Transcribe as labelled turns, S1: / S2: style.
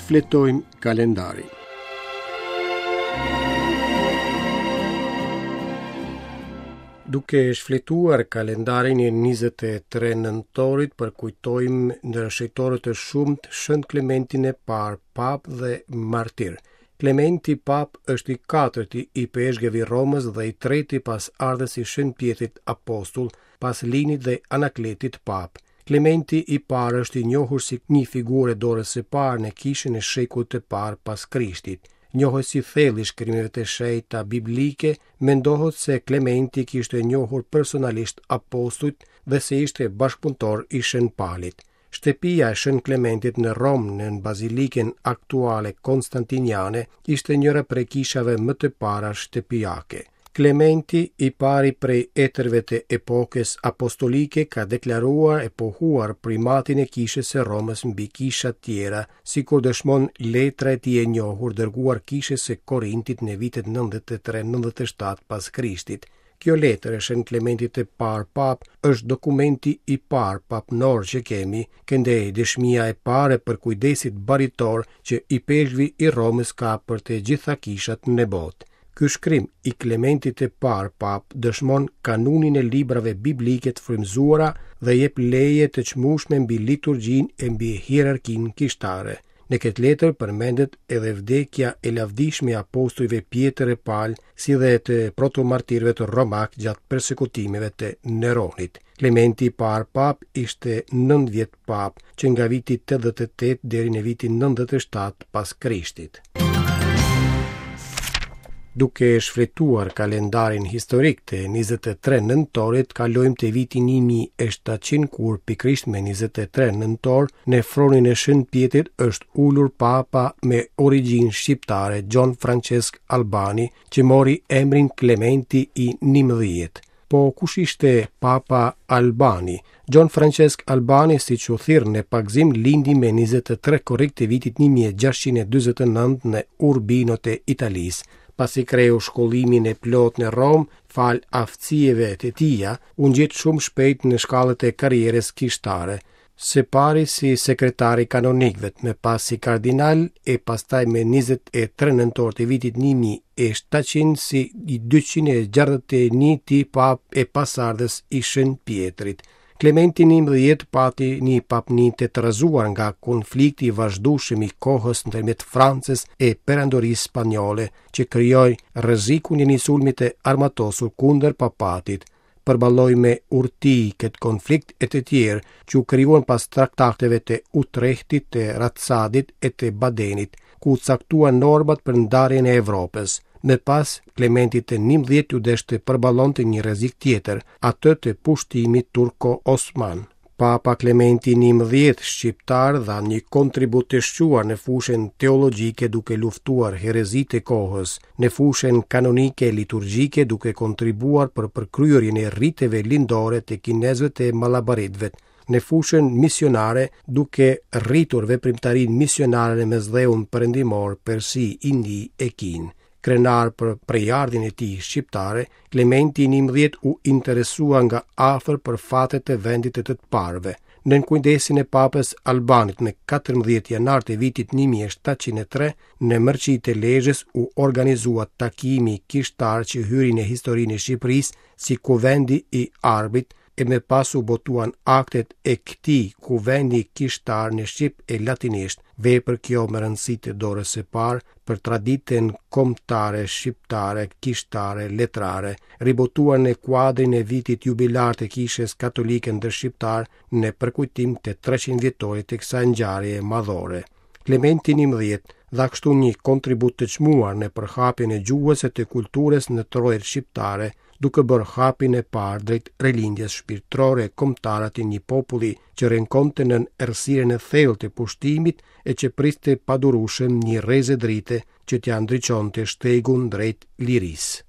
S1: Shfletojmë kalendarin. Duke shfletuar kalendarin e 23 nëntorit, përkujtojmë ndër shenjtorët e shumtë Shën Klementin e parë, papë dhe martir. Klementi Papë është i katërti ipeshkëv i Romës dhe i treti pasardhës i Shën Pjetrit Apostull, pas Linit dhe Anakletit Papë. Klementi i parë është i njohur si një figurë e dorës së parë në kishën e shekullit të parë pas Krishtit. Njohës i thellë i shkrimeve të shenjta biblike, mendohet se Klementi kishte njohur personalisht apostujt dhe se ishte bashkëpunëtor i Shën Palit. Shtëpia e Shën Klementit në Romë, në bazilikën aktuale Konstantiniane, ishte njëra prej kishave më të para shtëpiake. Klementi, i pari prej etërve të epokës apostolike, ka deklaruar e pohuar primatin e Kishës së Romës mbi kishat tjera, sikur dëshmon letra e tij e njohur dërguar Kishës së Korintit në vitet 93-97 pas Krishtit. Kjo letër e Shën Klementit të Parë Papë është dokumenti i parë papnor që kemi, këndej dëshmia e parë e përkujdesit baritor që ipeshkvi i Romës ka për të gjitha kishat në botë. Ky shkrim i Klementit të Parë Papë dëshmon kanunin e librave biblike të frymëzuara dhe jep leje të çmueshme mbi liturgjinë e mbi hierarkinë kishtare. Në këtë letër përmendet edhe vdekja e lavdishme e apostujve Pjetër e Pal, si dhe të protomartirëve të romakë gjatë persekutimeve të Neronit. Klementi i parë papë ishte 9 vjet papë, që nga viti 88 deri në vitin 97 pas Krishtit. Duke shfletuar kalendarin historik të 23 nëntorit, kalojmë te viti 1700 kur pikërisht me 23 nëntor në fronin e Shën Pjetrit është ulur papa me origjinë shqiptare Gjon Françesk Albani, që mori emrin Klementi i 11. Po kush ishte Papa Albani? Gjon Françesk Albani, siç u thirr në pagëzim, lindi me 23 korrik të vitit 1649 në Urbino të Italisë. Pasi kreu shkollimin e plotë në Romë, falë aftësive të tija, u ngjit shumë shpejt në shkallët e karrierës kishtare. Së pari si sekretar i kanonikëve, më pas si kardinal e pastaj me 23 nëntor të vitit 1700 si i 261-ti papë e pasardhës i Shën Pjetrit. Klementi 11 pati një papni të trazuar nga konflikti i vazhdueshëm i kohës ndërmjet Francës e Perandorisë Spanjolle, që krijoi rrezikun e një sulmi të armatosur kundër papatit. përballoi me urti këtë konflikt e të tjerë që u krijuan pas traktateve të Utrehtit, të Ratsadit e të Badenit, ku u caktuan normat për ndarjen e Evropës. Më pas, Klementit të 11 iu desh të përballonte një rrezik tjetër, atë të pushtimit turko-osman. Papa Klementi 11 shqiptar dha një kontribut të shquar në fushën teologjike duke luftuar herezitë e kohës, në fushën kanonike e liturgjike duke kontribuar për përkryerjen e riteve lindore të kinezëve të malabaritëve, në fushën misionare duke rritur veprimtarinë misionare në Mesdheun Perëndimor, Persi, Indi e Kinë. Krenar për prejardhjen e tij shqiptare, Klementi i 11 u interesua nga afër për fatet e vendit të të parëve. Nën kujdesin e Papës Albanit me 14 janar të vitit 1703, në Mërqi të Lezhës u organizua takimi kishtar që hyri në historinë e Shqipërisë si Kuvendi i Arbrit, e më pas u botuan aktet e këtij kuvendi kishtar në shqip e latinisht, vepër kjo me rëndësi të dorës së parë për traditën kombëtare shqiptare kishtare letrare, ribotuar në kuadrin e vitit jubilar të Kishës Katolike ndër shqiptarë në përkujtim të 300 vjetorit të kësaj ngjarjeje madhore. Klementi 11 dha kështu një kontribut të çmuar në përhapjen e gjuhës e të kulturës në trojet shqiptare, duke bërë hapin e parë drejt rilindjes shpirtërore e kombëtare të një populli që rënkonte nën errësirën e thellë të pushtimit e që priste padurueshëm një rreze drite që t'ia ndriçonte shtegun drejt lirisë.